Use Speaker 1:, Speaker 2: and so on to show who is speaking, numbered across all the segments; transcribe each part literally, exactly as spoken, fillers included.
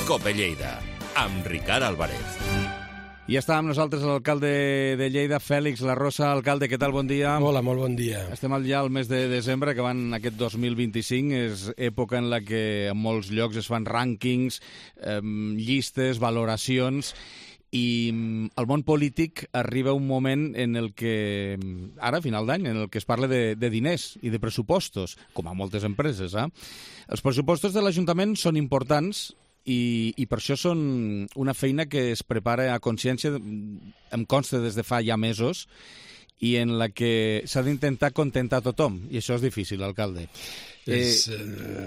Speaker 1: Cope Lleida, amb Ricard Álvarez.
Speaker 2: I ja està amb nosaltres l'alcalde de Lleida, Fèlix Larrosa. Alcalde, què tal? Bon dia.
Speaker 3: Hola, molt bon dia.
Speaker 2: Estem ja al mes de desembre, que van aquest dos mil vint-i-cinc. És època en la que en molts llocs es fan rànquings, eh, llistes, valoracions, i al món polític arriba un moment en el que, ara, a final d'any, en el que es parla de, de diners i de pressupostos, com a moltes empreses. Eh? Els pressupostos de l'Ajuntament són importants, I, i per això són una feina que es prepara a consciència, em consta des de fa ja mesos, i en la que s'ha d'intentar contentar tothom, i això és difícil, alcalde. Eh,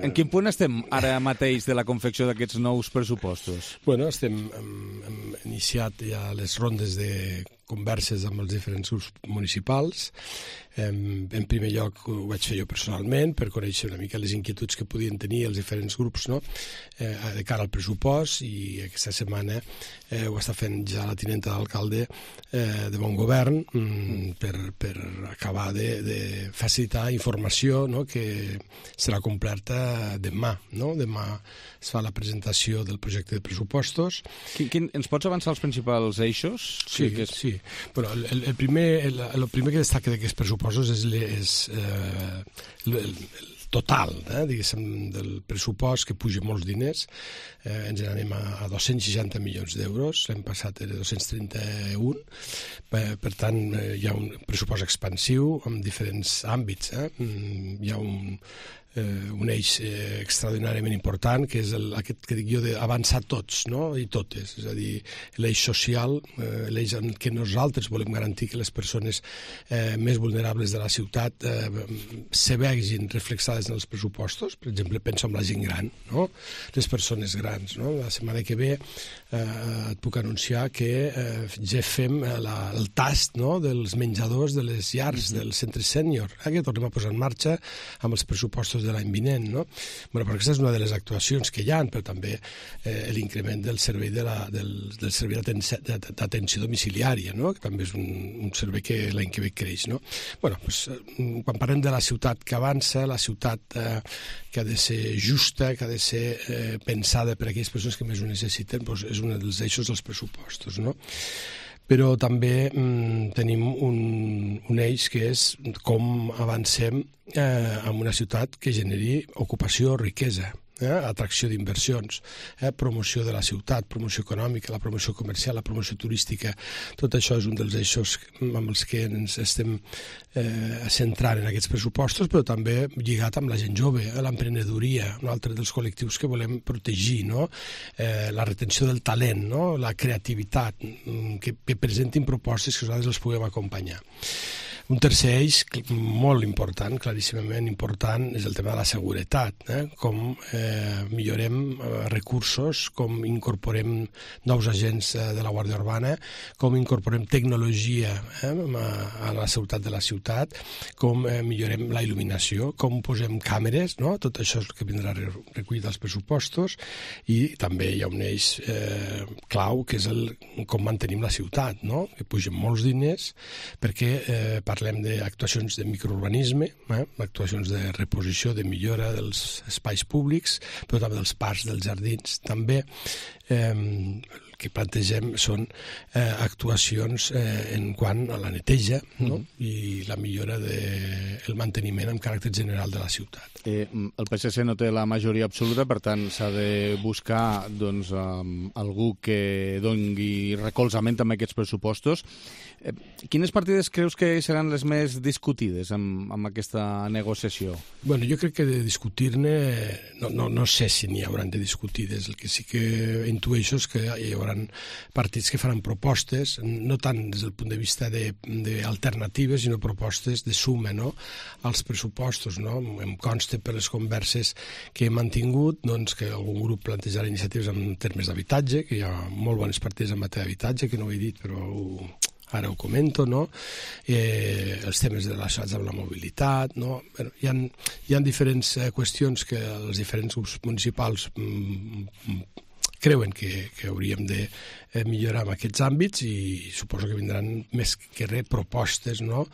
Speaker 2: en quin punt estem ara mateix de la confecció d'aquests nous pressupostos?
Speaker 3: Bueno, estem, hem, hem iniciat ja les rondes de converses amb els diferents grups municipals. En, en primer lloc ho vaig fer jo personalment per conèixer una mica les inquietuds que podien tenir els diferents grups, no? eh, de cara al pressupost, i aquesta setmana eh, ho està fent ja la tinenta d'alcalde eh, de bon govern mm, per, per acabar de, de facilitar informació, no? Que serà completa demà. No? Demà es fa la presentació del projecte de pressupostos.
Speaker 2: Quin, quin, ens pots avançar els principals eixos?
Speaker 3: Sí, que és... sí. Bueno, el, el, primer, el, el primer que destaca d'aquests pressupostos és, és eh, el, el, el total, eh, diguéssim, del pressupost, que puja molts diners. Eh, ens n'anem a, a dos-cents seixanta milions d'euros, l'any passat era dos-cents trenta-un. Per, per tant, eh, hi ha un pressupost expansiu en diferents àmbits. Eh? Hi ha un... Eh, un eix eh, extraordinàriament important, que és el, aquest que dic jo d'avançar tots, no? I totes, és a dir, l'eix social, eh, l'eix en què nosaltres volem garantir que les persones eh, més vulnerables de la ciutat eh, se vegin reflexades en els pressupostos. Per exemple, penso en la gent gran, no? Les persones grans, no? La setmana que ve eh, et puc anunciar que eh, ja fem la, el tast, no? Dels menjadors de les llars, mm-hmm. dels centres sènior, eh, que tornem a posar en marxa amb els pressupostos de l'any vinent, no? Bueno, però aquesta és una de les actuacions que hi ha, però també eh, l'increment del servei de la, del, del servei d'atenció domiciliària, no? Que també és un, un servei que l'any que ve creix, no? Bueno, pues, quan parlem de la ciutat que avança, la ciutat eh, que ha de ser justa, que ha de ser eh, pensada per a aquelles persones que més ho necessiten, pues, és un dels eixos dels pressupostos, no? Però també mm, tenim un, un eix que és com avancem eh, en una ciutat que generi ocupació o riquesa, eh, atracció d'inversions, eh, promoció de la ciutat, promoció econòmica, la promoció comercial, la promoció turística. Tot això és un dels eixos amb els que ens estem eh, centrant en aquests pressupostos, però també lligat amb la gent jove, eh, l'emprenedoria, un altre dels col·lectius que volem protegir, no? eh, la retenció del talent, no? La creativitat, que, que presentin propostes que nosaltres els puguem acompanyar. Un tercer eix molt important, claríssimament important, és el tema de la seguretat, eh? Com eh, millorem eh, recursos, com incorporem nous agents eh, de la Guàrdia Urbana, com incorporem tecnologia eh, a, a la seguretat de la ciutat, com eh, millorem la il·luminació, com posem càmeres, no? Tot això és el que vindrà recollit als pressupostos, i també hi ha un eix eh, clau, que és el com mantenim la ciutat, no? Que pugen molts diners, perquè eh, parlem d'actuacions de microurbanisme, eh? actuacions de reposició, de millora dels espais públics, però també dels parcs, dels jardins. També eh, el que plantegem són eh, actuacions eh, en quant a la neteja, no? Mm-hmm. I la millora del de, manteniment amb caràcter general de la ciutat.
Speaker 2: Eh, el P S C no té la majoria absoluta, per tant s'ha de buscar doncs, um, algú que doni recolzament amb aquests pressupostos. Eh, quines partides creus que seran les més discutides amb, amb aquesta negociació?
Speaker 3: Bueno, jo crec que de discutir-ne, no, no, no sé si n'hi hauran de discutides. El que sí que intueixo és que hi haurà partits que faran propostes, no tant des del punt de vista d'alternatives, sinó propostes de suma, no? Als pressupostos, no? Em consta per les converses que he mantingut, doncs, que algun grup plantejarà iniciatives en termes d'habitatge, que hi ha molt bones partides en matèria d'habitatge, que no ho he dit, però ho, ara ho comento, no? Eh, els temes relacionats amb la mobilitat, no? Bueno, hi ha, hi ha diferents eh, qüestions que els diferents grups municipals mm, creuen que, que hauríem de eh, millorar en aquests àmbits, i suposo que vindran més que res propostes, no?,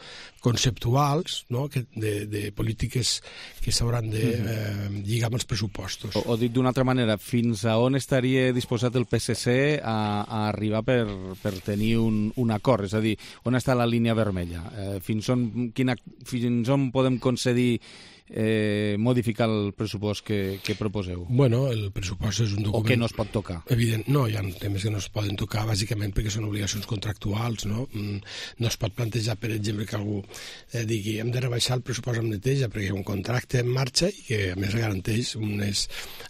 Speaker 3: conceptuals, no?, que de, de polítiques que s'hauran de eh, lligar amb els pressupostos.
Speaker 2: O, o dit d'una altra manera, fins a on estaria disposat el P S C a, a arribar per, per tenir un, un acord? És a dir, on està la línia vermella? Eh, fins, on, quina, fins on podem concedir eh, modificar el pressupost que, que proposeu?
Speaker 3: Bueno, el pressupost és un document...
Speaker 2: O que no es pot tocar?
Speaker 3: Evident, no, hi ha temes que no es poden tocar, bàsicament perquè són obligacions contractuals, no? No es pot plantejar, per exemple, que algú eh, digui hem de rebaixar el pressupost amb neteja perquè hi ha un contracte en marxa i que, a més, garanteix unes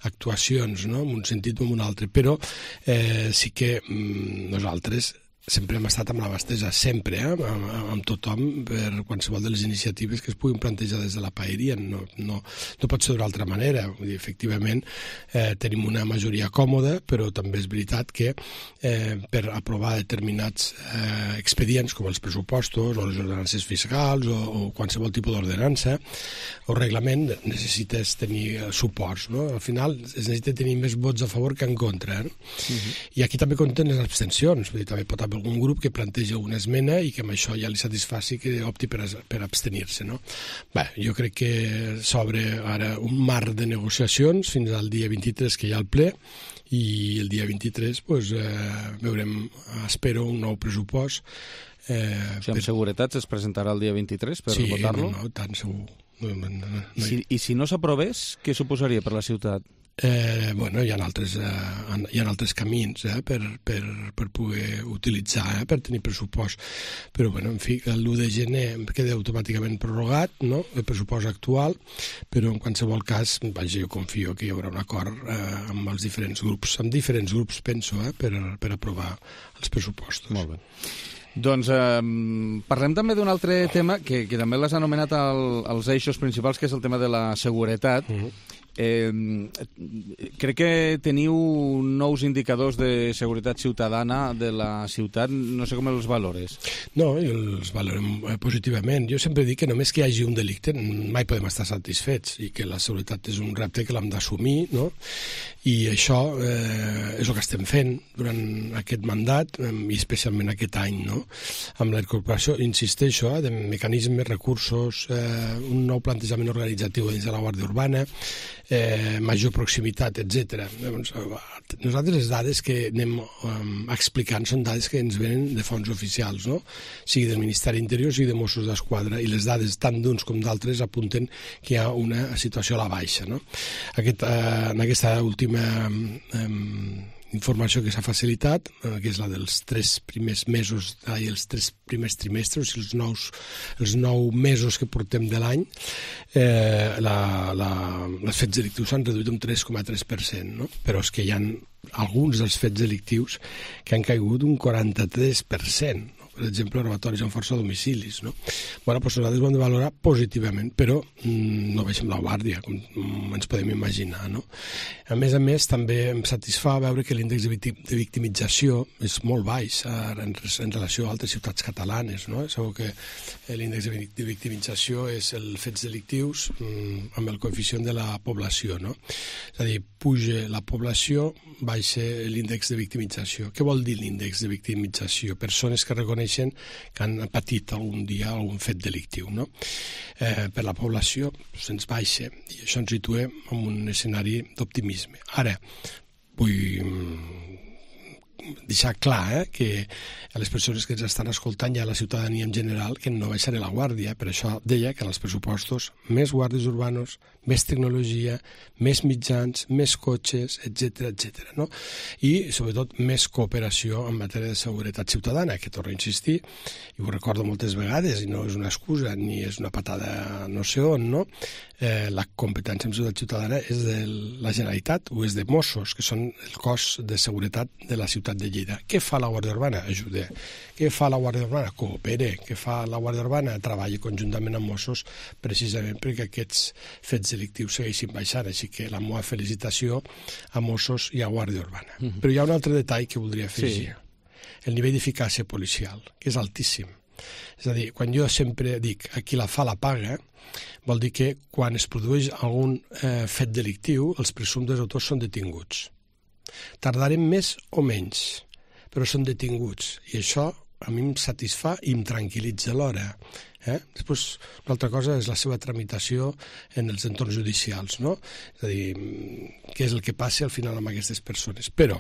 Speaker 3: actuacions, no?, en un sentit o en un altre. Però eh, sí que mm, nosaltres sempre hem estat amb la mà estesa, sempre, eh? amb, amb tothom, per qualsevol de les iniciatives que es puguin plantejar des de la paeria. No, no, no pot ser d'una altra manera. Vull dir, efectivament, eh, tenim una majoria còmoda, però també és veritat que eh, per aprovar determinats eh, expedients, com els pressupostos o les ordenances fiscals o, o qualsevol tipus d'ordenança o reglament, necessites tenir suports, no? Al final es necessita tenir més vots a favor que en contra. Eh? Uh-huh. I aquí també compten les abstencions. Vull dir, també pot haver algun grup que planteja una esmena i que amb això ja li satisfaci que opti per, per abstenir-se, no? Bé, jo crec que s'obre ara un marc de negociacions fins al dia vint-i-tres, que hi ha el ple, i el dia vint-i-tres pues, eh, veurem, espero, un nou pressupost. Eh,
Speaker 2: o sigui, amb per... seguretat es presentarà el dia vint-i-tres per
Speaker 3: sí,
Speaker 2: votar-lo?
Speaker 3: Sí, no, no, tant segur. No, no, no, no.
Speaker 2: I, si, I si no s'aprovés, què suposaria per la ciutat?
Speaker 3: Eh, bueno, hi ha altres, eh, hi ha altres camins eh, per, per, per poder utilitzar, eh, per tenir pressupost. Però, bueno, en fi, l'u de gener queda automàticament prorrogat, no?, el pressupost actual, però en qualsevol cas, vaja, jo confio que hi haurà un acord eh, amb els diferents grups, amb diferents grups, penso, eh, per, per aprovar els pressupostos.
Speaker 2: Molt bé. Doncs eh, parlem també d'un altre tema que, que també l'has anomenat el, els eixos principals, que és el tema de la seguretat. Uh-huh. Eh, crec que teniu nous indicadors de seguretat ciutadana de la ciutat, no sé com els valores.
Speaker 3: No, els valorem positivament. Jo sempre dic que només que hi hagi un delicte mai podem estar satisfets i que la seguretat és un repte que l'hem d'assumir, no? I això eh, és el que estem fent durant aquest mandat i especialment aquest any, no? Amb la incorporació, insisteixo, eh, de mecanismes, recursos, eh, un nou plantejament organitzatiu dins de la Guàrdia Urbana, Eh, major proximitat, etcètera. Nosaltres les dades que anem um, explicant són dades que ens venen de fonts oficials, no? Sigui del Ministeri Interior, sigui de Mossos d'Esquadra, i les dades tant d'uns com d'altres apunten que hi ha una situació a la baixa, no? Aquest, eh, en aquesta última eh, informació que s'ha facilitat, eh, que és la dels tres primers mesos i els tres primers trimestres, els, nous, els nou mesos que portem de l'any, eh, la, la, els fets delictius s'han reduït un tres coma tres per cent, no? Però és que hi ha alguns dels fets delictius que han caigut un quaranta-tres per cent, no? Per exemple, robatoris amb força a domicilis, no? Bueno, doncs nosaltres ho hem de valorar positivament, però mm, no baixem la guàrdia, com ens podem imaginar, no? A més a més, també em satisfà veure que l'índex de, victim, de victimització és molt baix en, en relació a altres ciutats catalanes, no? Sabeu que l'índex de victimització és els fets delictius mm, amb el coeficient de la població, no? És a dir, puja la població, baixa l'índex de victimització. Què vol dir l'índex de victimització? Persones que reconeixen que han patit algun dia algun fet delictiu, no? Eh, per la població se'ns baixa i això ens situa en un escenari d'optimisme. Ara, vull deixar clar eh, que a les persones que ens estan escoltant i a la ciutadania en general que no baixaré la guàrdia. Per això deia que en els pressupostos més guàrdies urbanos, més tecnologia, més mitjans, més cotxes, etcètera, etcètera, no? I, sobretot, més cooperació en matèria de seguretat ciutadana, que torno a insistir, i ho recordo moltes vegades, i no és una excusa ni és una patada no sé on, no? Eh, la competència en seguretat ciutadana és de la Generalitat o és de Mossos, que són el cos de seguretat de la ciutat de Lleida. Què fa la Guàrdia Urbana? Ajuda. Què fa la Guàrdia Urbana? Coopera. Què fa la Guàrdia Urbana? Treballa conjuntament amb Mossos precisament perquè aquests fets delictius segueixin baixant. Així que la meva felicitació a Mossos i a Guàrdia Urbana. Mm-hmm. Però hi ha un altre detall que voldria afegir. Sí. El nivell d'eficàcia policial, que és altíssim. És a dir, quan jo sempre dic a qui la fa la paga, vol dir que quan es produeix algun eh, fet delictiu, els presumptes autors són detinguts. Tardarem més o menys, però són detinguts. I això a mi em satisfà i em tranquil·litza alhora. Eh? Després, una altra cosa és la seva tramitació en els entorns judicials, no? És a dir, què és el que passa al final amb aquestes persones. Però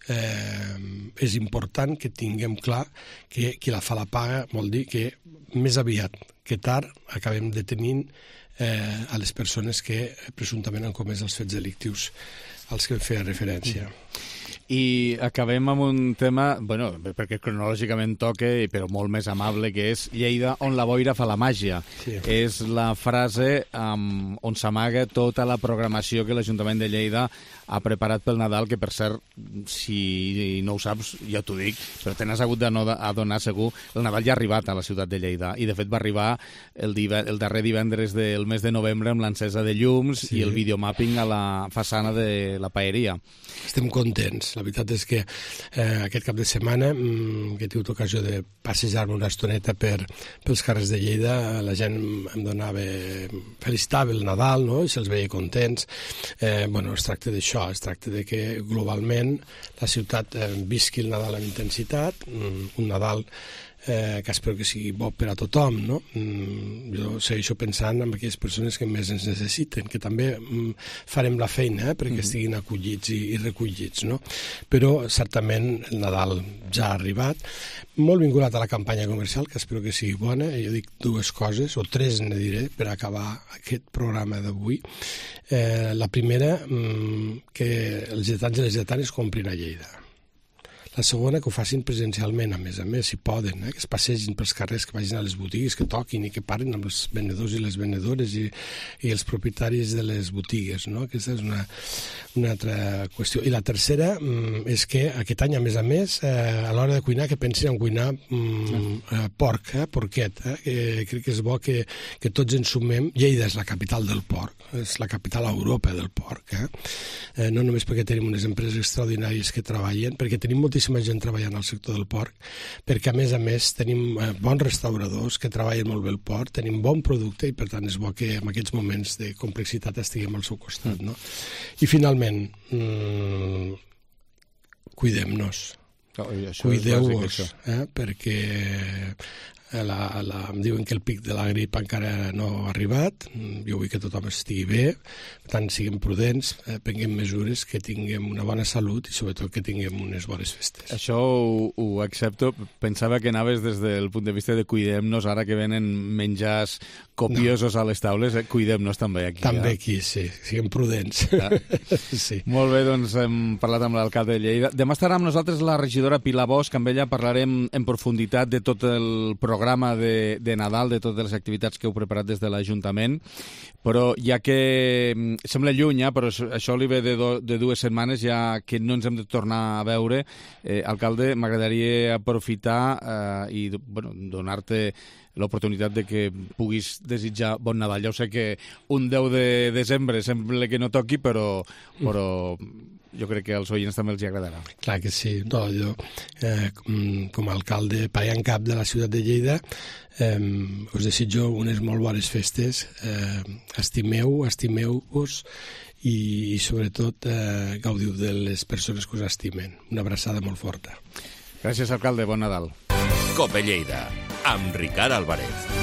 Speaker 3: eh, és important que tinguem clar que qui la fa la paga vol dir que més aviat que tard acabem detenint eh, a les persones que presumptament han comès els fets delictius als que feia referència.
Speaker 2: I acabem amb un tema, bueno, perquè cronològicament toca, però molt més amable, que és Lleida, on la boira fa la màgia. Sí. És la frase um, on s'amaga tota la programació que l'Ajuntament de Lleida ha preparat pel Nadal, que per cert, si no ho saps, ja t'ho dic, però te n'has hagut d'adonar segur, el Nadal ja ha arribat a la ciutat de Lleida, i de fet va arribar el, div el darrer divendres del mes de novembre amb l'encesa de llums sí. i el videomapping a la façana de la paeria.
Speaker 3: Estem contents. La veritat és que eh, aquest cap de setmana, mmm, que he tingut ocasió de passejar-me una estoneta per, pels carrers de Lleida, la gent em donava, felicitava el Nadal, no? I se'ls veia contents. Eh, bueno, es tracta d'això, es tracta de que globalment la ciutat eh, visqui el Nadal amb intensitat, mm, un Nadal eh, que espero que sigui bo per a tothom, no? Mm, jo segueixo pensant en aquelles persones que més ens necessiten, que també mm, farem la feina eh, perquè mm-hmm. estiguin acollits i, i recollits, no? Però certament el Nadal ja ha arribat, molt vinculat a la campanya comercial, que espero que sigui bona. Jo dic dues coses, o tres ne diré, per acabar aquest programa d'avui. Eh, la primera, mm, que els lletans i les lletanes comprin a Lleida. La segona, que ho facin presencialment, a més a més, si poden, eh? Que es passegin pels carrers, que vagin a les botigues, que toquin i que parlin amb els venedors i les venedores i, i els propietaris de les botigues, no? Aquesta és una, una altra qüestió. I la tercera mm, és que aquest any, a més a més, eh, a l'hora de cuinar, que pensin en cuinar mm, eh, porc, eh? porquet. Eh? Que crec que és bo que, que tots ens sumem. Lleida és la capital del porc, és la capital a Europa del porc. Eh? Eh, no només perquè tenim unes empreses extraordinàries que treballen, perquè tenim moltíssims gent treballant al sector del porc, perquè a més a més tenim eh, bons restauradors que treballen molt bé el porc, tenim bon producte i per tant és bo que en aquests moments de complexitat estiguem al seu costat, no? I finalment, mmm, cuidem-nos, oh, cuideu-vos, eh, perquè la, la, em diuen que el pic de la grip encara no ha arribat, jo vull que tothom estigui bé, per tant siguem prudents, eh, prenguem mesures, que tinguem una bona salut i sobretot que tinguem unes bones festes.
Speaker 2: Això ho, ho accepto, pensava que anaves des del punt de vista de cuidem-nos, ara que venen menjars copiosos no. a les taules, eh, cuidem-nos també aquí.
Speaker 3: També
Speaker 2: eh?
Speaker 3: aquí, sí, siguem prudents. Ah. Sí.
Speaker 2: Molt bé, doncs hem parlat amb l'alcalde de Lleida. Demà estarà amb nosaltres la regidora Pilar Bosch, amb ella parlarem en profunditat de tot el programa de, de Nadal, de totes les activitats que heu preparat des de l'Ajuntament, però ja que sembla lluny, eh, però això li ve de, do, de dues setmanes, ja que no ens hem de tornar a veure, eh, alcalde, m'agradaria aprofitar eh, i bueno, donar-te l'oportunitat de que puguis desitjar bon Nadal. Ja ho sé que un deu de desembre sembla que no toqui, però, però jo crec que als oients també els hi agradarà.
Speaker 3: Clar que sí. No, jo, eh, com a alcalde paia en cap de la ciutat de Lleida, eh, us desitjo unes molt bones festes. Eh, estimeu, estimeu-vos i, i sobretot eh, gaudiu de les persones que us estimen. Una abraçada molt forta.
Speaker 2: Gràcies, alcalde. Bon Nadal.
Speaker 1: Cope Lleida, amb Ricard Álvarez.